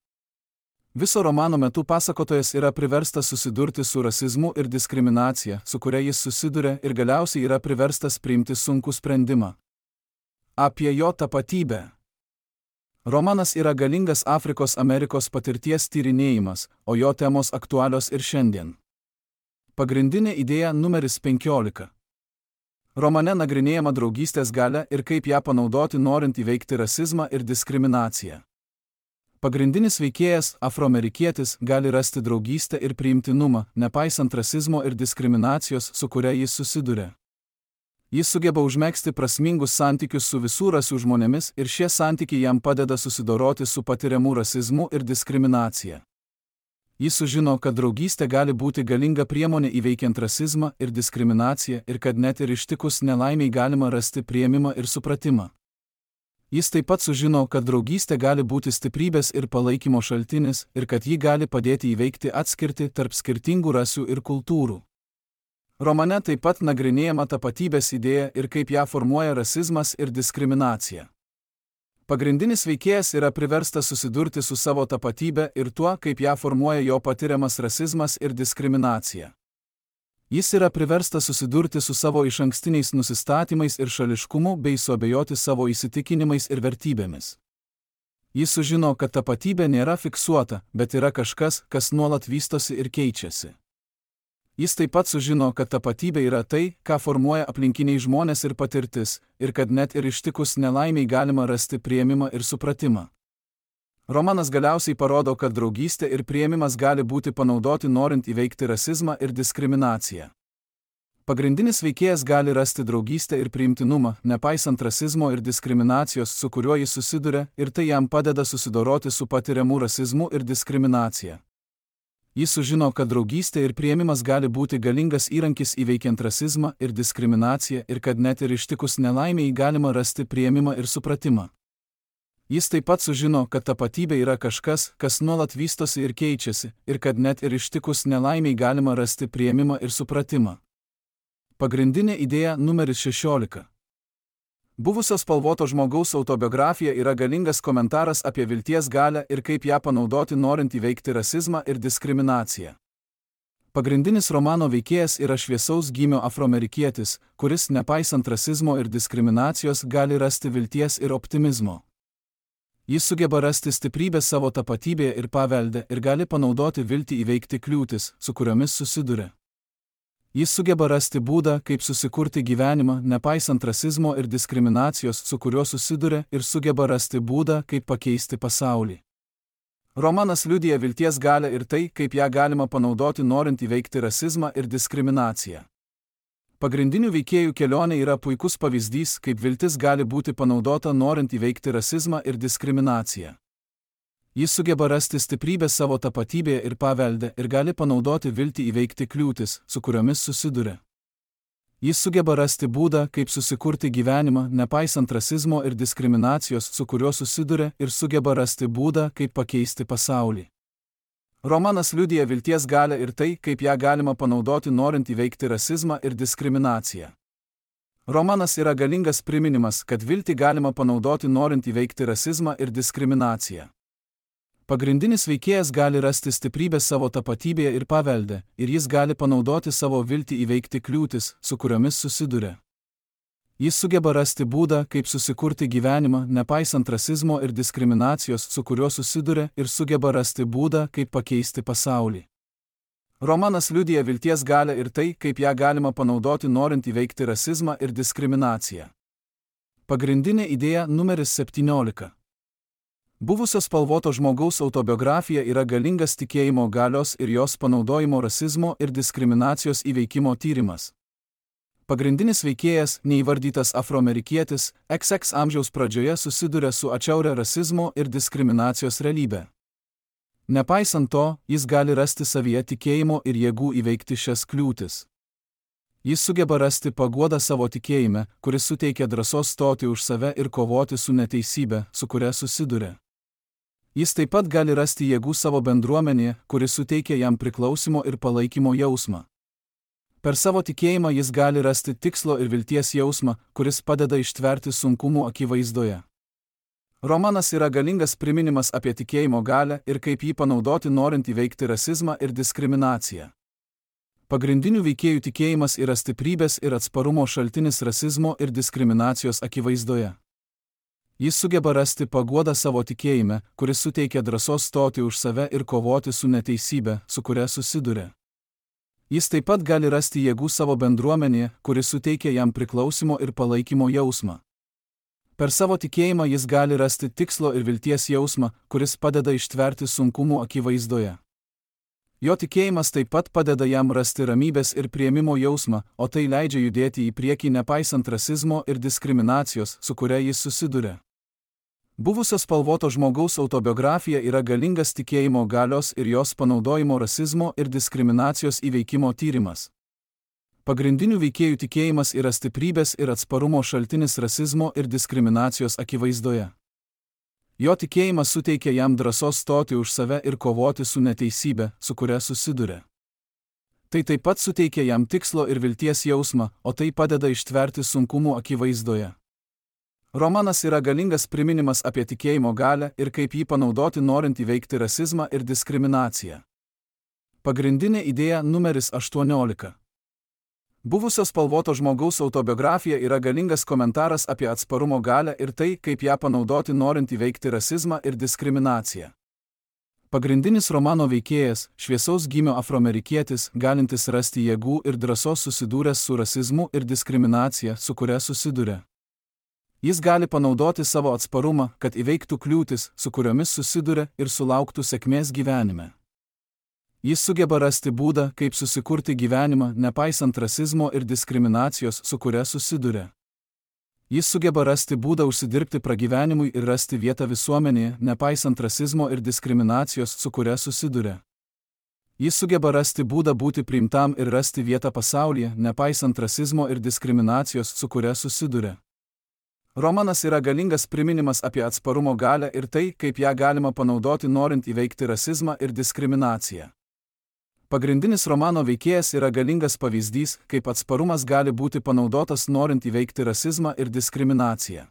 Speaker 1: Viso romano metu pasakotojas yra priverstas susidurti su rasizmu ir diskriminacija, su kuria jis susiduria, ir galiausiai yra priverstas priimti sunkų sprendimą. Apie jo tapatybę. Romanas yra galingas Afrikos Amerikos patirties tyrinėjimas, o jo temos aktualios ir šiandien. Pagrindinė idėja numeris penkiolika. Romane nagrinėjama draugystės galia ir kaip ją panaudoti norint įveikti rasizmą ir diskriminaciją. Pagrindinis veikėjas, afroamerikietis, gali rasti draugystę ir priimtinumą, nepaisant rasizmo ir diskriminacijos, su kuria jis susiduria. Jis sugeba užmegzti prasmingus santykius su visų rasių žmonėmis ir šie santykiai jam padeda susidoroti su patiriamu rasizmu ir diskriminacija. Jis sužino, kad draugystė gali būti galinga priemonė įveikiant rasizmą ir diskriminaciją ir kad net ir ištikus nelaimiai galima rasti priėmimą ir supratimą. Jis taip pat sužino, kad draugystė gali būti stiprybės ir palaikymo šaltinis ir kad ji gali padėti įveikti atskirtį tarp skirtingų rasių ir kultūrų. Romane taip pat nagrinėjama tapatybės idėja ir kaip ją formuoja rasizmas ir diskriminacija. Pagrindinis veikėjas yra priverstas susidurti su savo tapatybė ir tuo, kaip ją formuoja jo patiriamas rasizmas ir diskriminacija. Jis yra priverstas susidurti su savo išankstiniais nusistatymais ir šališkumu bei suabejoti savo įsitikinimais ir vertybėmis. Jis sužino, kad tapatybė nėra fiksuota, bet yra kažkas, kas nuolat vystosi ir keičiasi. Jis taip pat sužino, kad tapatybė yra tai, ką formuoja aplinkiniai žmonės ir patirtis, ir kad net ir ištikus nelaimiai galima rasti priėmimą ir supratimą. Romanas galiausiai parodo, kad draugystė ir priėmimas gali būti panaudoti norint įveikti rasizmą ir diskriminaciją. Pagrindinis veikėjas gali rasti draugystę ir priimtinumą, nepaisant rasizmo ir diskriminacijos, su kuriuo jis susiduria, ir tai jam padeda susidoroti su patiriamu rasizmu ir diskriminacija. Jis sužino, kad draugystė ir priėmimas gali būti galingas įrankis įveikiant rasizmą ir diskriminaciją ir kad net ir ištikus nelaimiai galima rasti priėmimą ir supratimą. Jis taip pat sužino, kad tapatybė yra kažkas, kas nuolat vystosi ir keičiasi, ir kad net ir ištikus nelaimiai galima rasti priėmimą ir supratimą. Pagrindinė idėja numeris šešiolika. Buvusio spalvoto žmogaus autobiografija yra galingas komentaras apie vilties galią ir kaip ją panaudoti norint įveikti rasizmą ir diskriminaciją. Pagrindinis romano veikėjas yra šviesaus gymio afroamerikietis, kuris, nepaisant rasizmo ir diskriminacijos, gali rasti vilties ir optimizmo. Jis sugeba rasti stiprybę savo tapatybėje ir pavelde ir gali panaudoti viltį įveikti kliūtis, su kuriomis susiduria. Jis sugeba rasti būdą, kaip susikurti gyvenimą, nepaisant rasizmo ir diskriminacijos, su kuriuo susiduria, ir sugeba rasti būdą, kaip pakeisti pasaulį. Romanas liudija vilties galią ir tai, kaip ją galima panaudoti norint įveikti rasizmą ir diskriminaciją. Pagrindinių veikėjų kelionė yra puikus pavyzdys, kaip viltis gali būti panaudota norint įveikti rasizmą ir diskriminaciją. Jis sugeba rasti stiprybę savo tapatybėje ir pavelde ir gali panaudoti viltį įveikti kliūtis, su kuriomis susiduria. Jis sugeba rasti būdą, kaip susikurti gyvenimą, nepaisant rasizmo ir diskriminacijos, su kuriuo susiduria, ir sugeba rasti būdą, kaip pakeisti pasaulį. Romanas liudija vilties galią ir tai, kaip ją galima panaudoti norint įveikti rasizmą ir diskriminaciją. Romanas yra galingas priminimas, kad viltį galima panaudoti norint įveikti rasizmą ir diskriminaciją. Pagrindinis veikėjas gali rasti stiprybę savo tapatybėje ir pavelde, ir jis gali panaudoti savo viltį įveikti kliūtis, su kuriomis susiduria. Jis sugeba rasti būdą, kaip susikurti gyvenimą, nepaisant rasizmo ir diskriminacijos, su kuriuo susiduria, ir sugeba rasti būdą, kaip pakeisti pasaulį. Romanas liudija vilties galią ir tai, kaip ją galima panaudoti norint įveikti rasizmą ir diskriminaciją. Pagrindinė idėja numeris septyniolika. Buvusio spalvoto žmogaus autobiografija yra galingas tikėjimo galios ir jos panaudojimo rasizmo ir diskriminacijos įveikimo tyrimas. Pagrindinis veikėjas, neįvardytas afroamerikietis, iks iks amžiaus pradžioje susiduria su atšiauria rasizmo ir diskriminacijos realybė. Nepaisant to, jis gali rasti savyje tikėjimo ir jėgų įveikti šias kliūtis. Jis sugeba rasti paguodą savo tikėjime, kuris suteikia drąsos stoti už save ir kovoti su neteisybė, su kuria susiduria. Jis taip pat gali rasti jėgų savo bendruomenėje, kuris suteikia jam priklausimo ir palaikymo jausmą. Per savo tikėjimą jis gali rasti tikslo ir vilties jausmą, kuris padeda ištverti sunkumų akivaizdoje. Romanas yra galingas priminimas apie tikėjimo galią ir kaip jį panaudoti norint įveikti rasizmą ir diskriminaciją. Pagrindinių veikėjų tikėjimas yra stiprybės ir atsparumo šaltinis rasizmo ir diskriminacijos akivaizdoje. Jis sugeba rasti paguodą savo tikėjime, kuris suteikia drąsos stoti už save ir kovoti su neteisybe, su kuria susiduria. Jis taip pat gali rasti jėgų savo bendruomenėje, kuris suteikia jam priklausimo ir palaikymo jausmą. Per savo tikėjimą jis gali rasti tikslo ir vilties jausmą, kuris padeda ištverti sunkumų akivaizdoje. Jo tikėjimas taip pat padeda jam rasti ramybės ir priėmimo jausmą, o tai leidžia judėti į priekį nepaisant rasizmo ir diskriminacijos, su kuria jis susiduria. Buvusio spalvoto žmogaus autobiografija yra galingas tikėjimo galios ir jos panaudojimo rasizmo ir diskriminacijos įveikimo tyrimas. Pagrindinių veikėjų tikėjimas yra stiprybės ir atsparumo šaltinis rasizmo ir diskriminacijos akivaizdoje. Jo tikėjimas suteikia jam drąsos stoti už save ir kovoti su neteisybe, su kuria susiduria. Tai taip pat suteikia jam tikslo ir vilties jausmą, o tai padeda ištverti sunkumų akivaizdoje. Romanas yra galingas priminimas apie tikėjimo galią ir kaip jį panaudoti norint įveikti rasizmą ir diskriminaciją. Pagrindinė idėja numeris aštuoniolika. Buvusio spalvoto žmogaus autobiografija yra galingas komentaras apie atsparumo galią ir tai, kaip ją panaudoti norint įveikti rasizmą ir diskriminaciją. Pagrindinis romano veikėjas, šviesaus gymio afroamerikietis, galintis rasti jėgų ir drąsos susidūręs su rasizmu ir diskriminacija, su kuria susiduria. Jis gali panaudoti savo atsparumą, kad įveiktų kliūtis, su kuriomis susiduria ir sulauktų sėkmės gyvenime. Jis sugeba rasti būdą, kaip susikurti gyvenimą, nepaisant rasizmo ir diskriminacijos, su kuria susiduria. Jis sugeba rasti būdą užsidirbti pragyvenimui ir rasti vietą visuomenėje, nepaisant rasizmo ir diskriminacijos, su kuria susiduria. Jis sugeba rasti būdą būti priimtam ir rasti vietą pasaulyje, nepaisant rasizmo ir diskriminacijos, su kuria susiduria. Romanas yra galingas priminimas apie atsparumo galią ir tai, kaip ją galima panaudoti norint įveikti rasizmą ir diskriminaciją. Pagrindinis romano veikėjas yra galingas pavyzdys, kaip atsparumas gali būti panaudotas norint įveikti rasizmą ir diskriminaciją.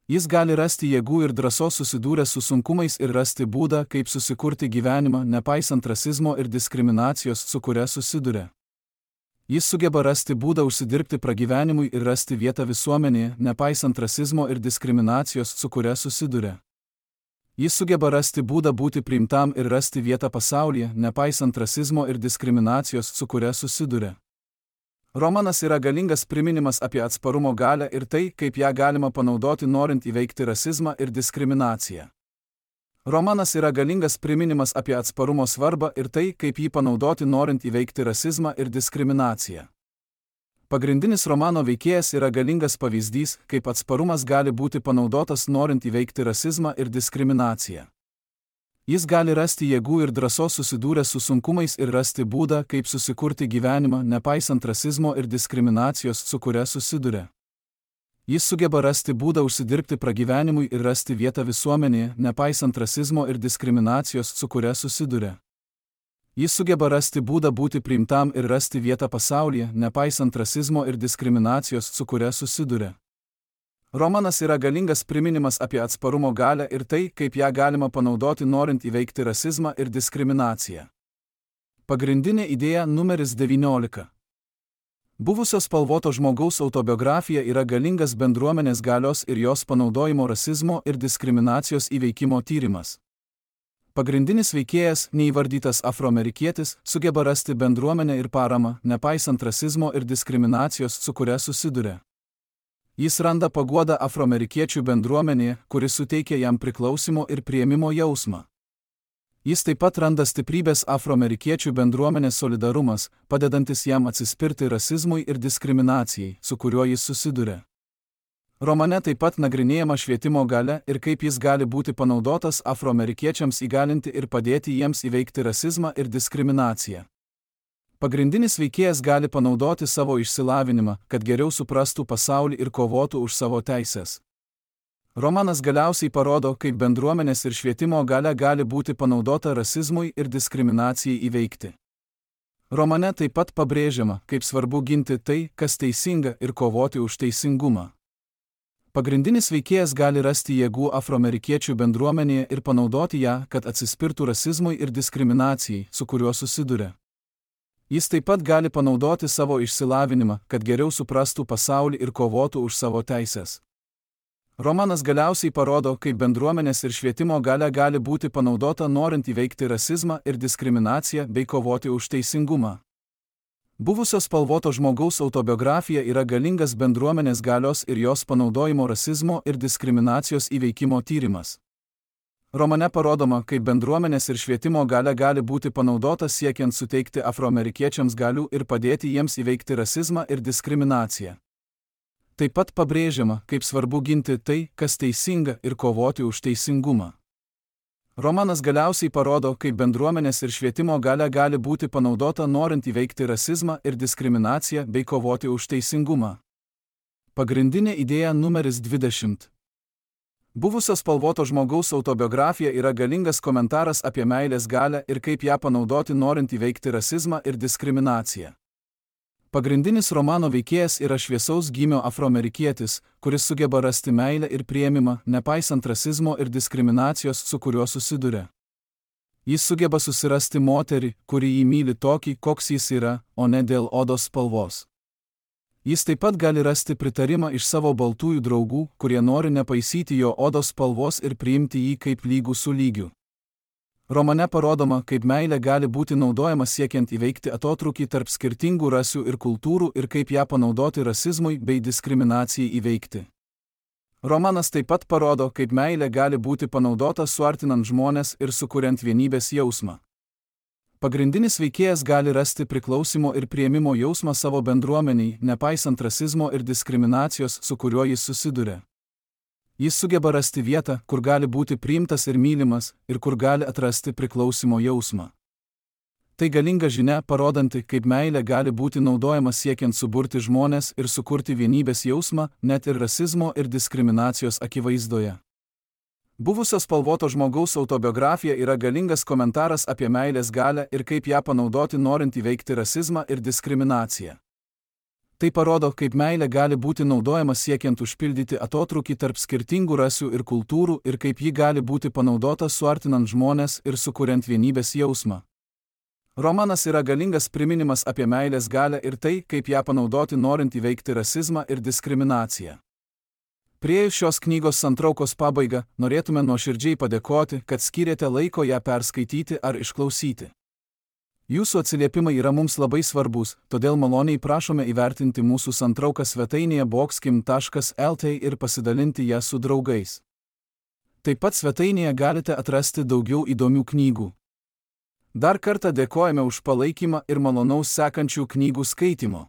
Speaker 1: Jis gali rasti jėgų ir drąsos susidūręs su sunkumais ir rasti būdą, kaip susikurti gyvenimą, nepaisant rasizmo ir diskriminacijos, su kuria susiduria. Jis sugeba rasti būdą užsidirbti pragyvenimui ir rasti vietą visuomenėje, nepaisant rasizmo ir diskriminacijos, su kuria susiduria. Jis sugeba rasti būdą būti priimtam ir rasti vietą pasaulyje, nepaisant rasizmo ir diskriminacijos, su kuria susiduria. Romanas yra galingas priminimas apie atsparumo galią ir tai, kaip ją galima panaudoti norint įveikti rasizmą ir diskriminaciją. Romanas yra galingas priminimas apie atsparumo svarbą ir tai, kaip jį panaudoti norint įveikti rasizmą ir diskriminaciją. Pagrindinis romano veikėjas yra galingas pavyzdys, kaip atsparumas gali būti panaudotas norint įveikti rasizmą ir diskriminaciją. Jis gali rasti jėgų ir drąsos susidūręs su sunkumais ir rasti būdą, kaip susikurti gyvenimą, nepaisant rasizmo ir diskriminacijos, su kuria susiduria. Jis sugeba rasti būdą užsidirbti pragyvenimui ir rasti vietą visuomenėje, nepaisant rasizmo ir diskriminacijos, su kuria susiduria. Jis sugeba rasti būdą būti priimtam ir rasti vietą pasaulyje, nepaisant rasizmo ir diskriminacijos, su kuria susiduria. Romanas yra galingas priminimas apie atsparumo galią ir tai, kaip ją galima panaudoti norint įveikti rasizmą ir diskriminaciją. Pagrindinė idėja numeris devyniolika. Buvusio spalvoto žmogaus autobiografija yra galingas bendruomenės galios ir jos panaudojimo rasizmo ir diskriminacijos įveikimo tyrimas. Pagrindinis veikėjas, neįvardytas afroamerikietis, sugeba rasti bendruomenę ir paramą, nepaisant rasizmo ir diskriminacijos, su kuria susiduria. Jis randa paguodą afroamerikiečių bendruomenėje, kuris suteikia jam priklausimo ir priėmimo jausmą. Jis taip pat randa stiprybės afroamerikiečių bendruomenės solidarumas, padedantis jam atsispirti rasizmui ir diskriminacijai, su kuriuo jis susiduria. Romane taip pat nagrinėjama švietimo galia ir kaip jis gali būti panaudotas afroamerikiečiams įgalinti ir padėti jiems įveikti rasizmą ir diskriminaciją. Pagrindinis veikėjas gali panaudoti savo išsilavinimą, kad geriau suprastų pasaulį ir kovotų už savo teises. Romanas galiausiai parodo, kaip bendruomenės ir švietimo galia gali būti panaudota rasizmui ir diskriminacijai įveikti. Romane taip pat pabrėžiama, kaip svarbu ginti tai, kas teisinga ir kovoti už teisingumą. Pagrindinis veikėjas gali rasti jėgų afroamerikiečių bendruomenėje ir panaudoti ją, kad atsispirtų rasizmui ir diskriminacijai, su kuriuo susiduria. Jis taip pat gali panaudoti savo išsilavinimą, kad geriau suprastų pasaulį ir kovotų už savo teises. Romanas galiausiai parodo, kaip bendruomenės ir švietimo galia gali būti panaudota norint įveikti rasizmą ir diskriminaciją bei kovoti už teisingumą. Buvusio spalvoto žmogaus autobiografija yra galingas bendruomenės galios ir jos panaudojimo rasizmo ir diskriminacijos įveikimo tyrimas. Romane parodoma, kaip bendruomenės ir švietimo galia gali būti panaudota siekiant suteikti afroamerikiečiams galių ir padėti jiems įveikti rasizmą ir diskriminaciją. Taip pat pabrėžiama, kaip svarbu ginti tai, kas teisinga ir kovoti už teisingumą. Romanas galiausiai parodo, kaip bendruomenės ir švietimo galia gali būti panaudota norint įveikti rasizmą ir diskriminaciją bei kovoti už teisingumą. Pagrindinė idėja numeris dvidešimt. Buvusio spalvoto žmogaus autobiografija yra galingas komentaras apie meilės galią ir kaip ją panaudoti norint įveikti rasizmą ir diskriminaciją. Pagrindinis romano veikėjas yra šviesaus gymio afroamerikietis, kuris sugeba rasti meilę ir priėmimą, nepaisant rasizmo ir diskriminacijos, su kuriuo susiduria. Jis sugeba susirasti moterį, kuri jį myli tokį, koks jis yra, o ne dėl odos spalvos. Jis taip pat gali rasti pritarimą iš savo baltųjų draugų, kurie nori nepaisyti jo odos spalvos ir priimti jį kaip lygų su lygiu. Romane parodoma, kaip meilė gali būti naudojama siekiant įveikti atotrūkį tarp skirtingų rasių ir kultūrų ir kaip ją panaudoti rasizmui bei diskriminacijai įveikti. Romanas taip pat parodo, kaip meilė gali būti panaudota suartinant žmones ir sukuriant vienybės jausmą. Pagrindinis veikėjas gali rasti priklausimo ir priėmimo jausmą savo bendruomeniai, nepaisant rasizmo ir diskriminacijos, su kuriuo jis susiduria. Jis sugeba rasti vietą, kur gali būti priimtas ir mylimas, ir kur gali atrasti priklausimo jausmą. Tai galinga žinia, parodanti, kaip meilė gali būti naudojama siekiant suburti žmones ir sukurti vienybės jausmą, net ir rasizmo ir diskriminacijos akivaizdoje. Buvusio spalvoto žmogaus autobiografija yra galingas komentaras apie meilės galią ir kaip ją panaudoti norint įveikti rasizmą ir diskriminaciją. Tai parodo, kaip meilė gali būti naudojama siekiant užpildyti atotrūkį tarp skirtingų rasių ir kultūrų ir kaip ji gali būti panaudota suartinant žmones ir sukuriant vienybės jausmą. Romanas yra galingas priminimas apie meilės galią ir tai, kaip ją panaudoti norint įveikti rasizmą ir diskriminaciją. Priėjus šios knygos santraukos pabaigą, norėtume nuoširdžiai padėkoti, kad skyrėte laiko ją perskaityti ar išklausyti. Jūsų atsiliepimai yra mums labai svarbus, todėl maloniai prašome įvertinti mūsų santrauką svetainėje boxkim taškas el t ir pasidalinti ją su draugais. Taip pat svetainėje galite atrasti daugiau įdomių knygų. Dar kartą dėkojame už palaikymą ir malonaus sekančių knygų skaitimo.